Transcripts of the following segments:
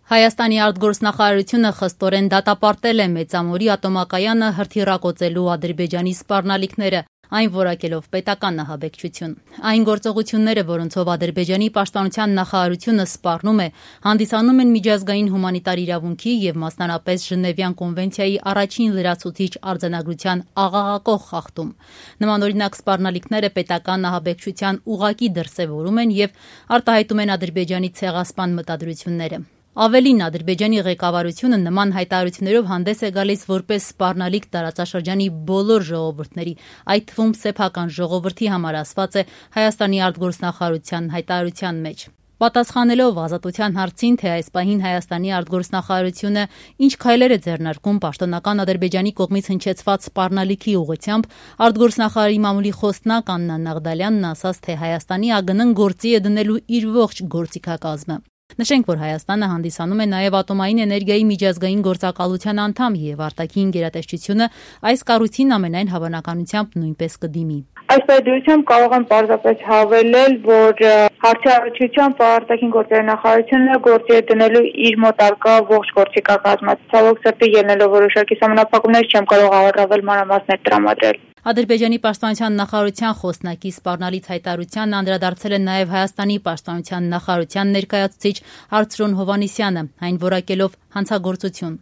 Հայաստանի արտգործնախարարությունը խստորեն դատապարտել է Մեծամորի ատոմակայանը հրթիռակոծելու Ադրբեջանի սպառնալիքները, այն որակելով պետական ահաբեկչություն։ Այն գործողությունները, որոնցով Ադրբեջանի պաշտպանության նախարարությունը սպառնում է, հանդիսանում են միջազգային հումանիտար իրավունքի եւ մասնարարպես Ժնևյան կոնվենցիայի առաջին լրացուցիչ արձանագրության աղաղակող խախտում։ Նմանօրինակ սպառնալիքները պետական ահաբեկչության ուղղակի դրսևորում են եւ արտահայտում են Ադրբեջանի ցեղասպան մտադրությունները։ Ավելին, Ադրբեջանի ղեկավարությունը նման հայտարարություններով հանդես է գալիս որպես սպառնալիք տարածաշրջանի բոլոր ժողովուրդների, այդ թվում սեփական ժողովրդի համար ասված է Հայաստանի արտգործնախարարության հայտարարության մեջ։ Պատասխանելով Ազատության հարցին, թե այս պահին Հայաստանի արտգործնախարարությունը ինչ քայլեր է ձեռնարկում պաշտոնական Ադրբեջանի կողմից հնչեցված սպառնալիքի ուղղությամբ, արտգործնախարարի մամուլի խոսնակ Աննա Նաղդալյանն ասաց, թե Հայաստանի ԱԳՆ-ն գործի է դնելու իր ողջ գործիքակազմը։ Նշենք, որ Հայաստանը հանդիսանում է նաև ատոմային էներգիայի միջազգային գործակալության անդամ եւ արտաքին գերատեսչությունը այս կառույցին ամենայն հավանականությամբ նույնպես կդիմի։ Այս վերաբերությամբ կարող եմ պարզապես հավելել, որ հարցի առնչությամբ արտաքին գործերի նախարարությունը գործի է դնելու իր մոտ արկա ողջ գործիքակազմը։ Ցավոք սրտի ելնելով որոշակի համապատասխաններ չեմ կարող առավել մանրամասներ տրամադրել։ Ադրբեջանի պաշտպանության նախարարության խոսնակի սպառնալից հայտարարությանն անդրադարձել է նաև Հայաստանի պաշտպանության նախարարության ներկայացուցիչ Արծրուն Հովհաննիսյանը, այն որակելով հանցագործություն։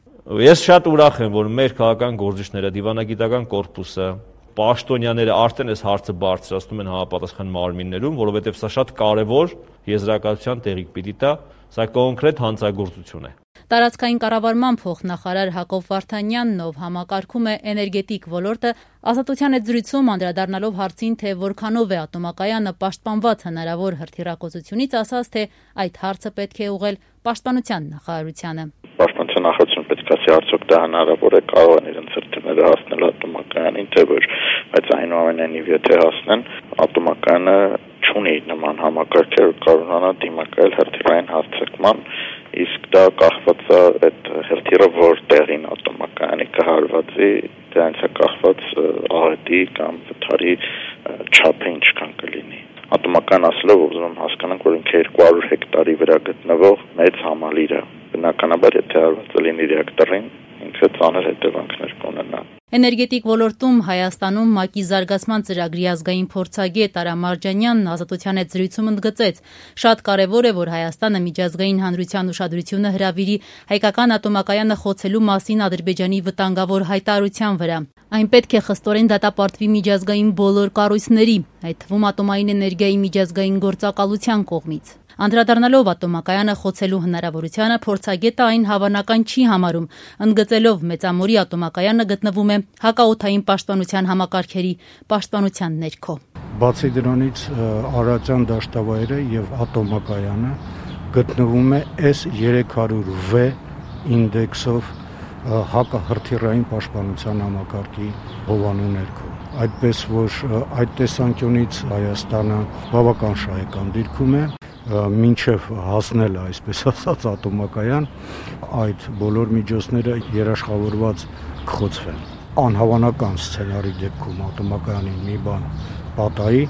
Ես շատ ուրախ եմ, որ մեր քաղաքական գործիչները, դիվանագիտական կորպուսը, պաշտոնյաները արդեն այս հարցը բարձրացնում են համապատասխան մարմիններում, որովհետև սա շատ կարևոր եզրակացության տեղիք պիտի տա, սա կոնկրետ հանցագործություն է։ Տարածքային կառավարման փոխնախարար Հակոբ Վարդանյանն, ով համակարգում է էներգետիկ ոլորտը, Ազատության հետ զրույցում անդրադառնալով հարցին, թե որքանով է ատոմակայանը պաշտպանված հնարավոր հրթիռակոծությունից, ասաց, թե այդ հարցը պետք է ուղղել պաշտպանության նախարարությանը։ Պաշտպանության նախարարությունը պետք է ասի, արդյոք դա հնարավոր է, կարող են իրենց հրթիռները հասնել ատոմակայանին, թե ոչ, բայց այնուամենայնիվ եթե հասնեն, ատոմակայանը չունի նման համակարգեր, կարողանա դիմակայել հրթիռային հարձակման, իսկ դա կախված է այդ հրթիռը որտեղին ատոմակայանի կհարվածի, դրանից է կախված աղետի կամ վթարի չափը ինչքան կլինի։ Ատոմական ասելով ուզում եմ հասկանանք, որ ինքը 200 հեկտարի վրա գտնվող մեծ համալիր է։ Բնականաբար եթե հարվածը լինի ռեակտորին, ինքը ծանր հետևանքներ կունենա։ Էներգետիկ ոլորտում Հայաստանում ՄԱԿ-ի զարգացման ծրագրի ազգային փորձագետ Արա Մարջանյանն Ազատության հետ զրույցում ընդգծեց. շատ կարևոր է, որ Հայաստանը միջազգային հանրության ուշադրությունը հրավիրի հայկական ատոմակայանը խոցելու մասին Ադրբեջանի վտանգավոր հայտարարության վրա։ Այն պետք է խստորեն դատապարտվի միջազգային բոլոր կառույցների, այդ թվում ատոմային էներգիայի միջազգային գործակալության կողմից։ Անդրադառնալով ատոմակայանը խոցելու հնարավորությանը, փորձագետը այն հավանական չի համարում, ընդգծելով Մեծամորի ատոմակայանը գտնվում է հակաօդային պաշտպանության համակարգերի պաշտպանության ներքո։ Բացի դրանից Արարատյան դաշտավայրը եւ ատոմակայանը գտնվում է S300V ինդեքսով հակահրթիռային պաշտպանության համակարգի հովանու ներքո։ Այդպես որ այդ տեսանկյունից Հայաստանը բավական շահեկան դիրքում է, մինչև հասնել այսպես ասած ատոմակայան, այդ բոլոր միջոցները երաշխավորված կխոցվեն։ Անհավանական սցենարի դեպքում ատոմակայանի մի բան պատահի,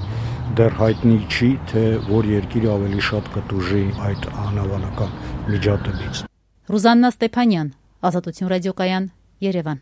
դեռ հայտնի չի, թե որ երկիրը ավելի շատ կտուժի այդ անհավանական միջադեպից։ Ռուզաննա Ստեփանյան, Ազատություն ռադիոկայան, Երևան։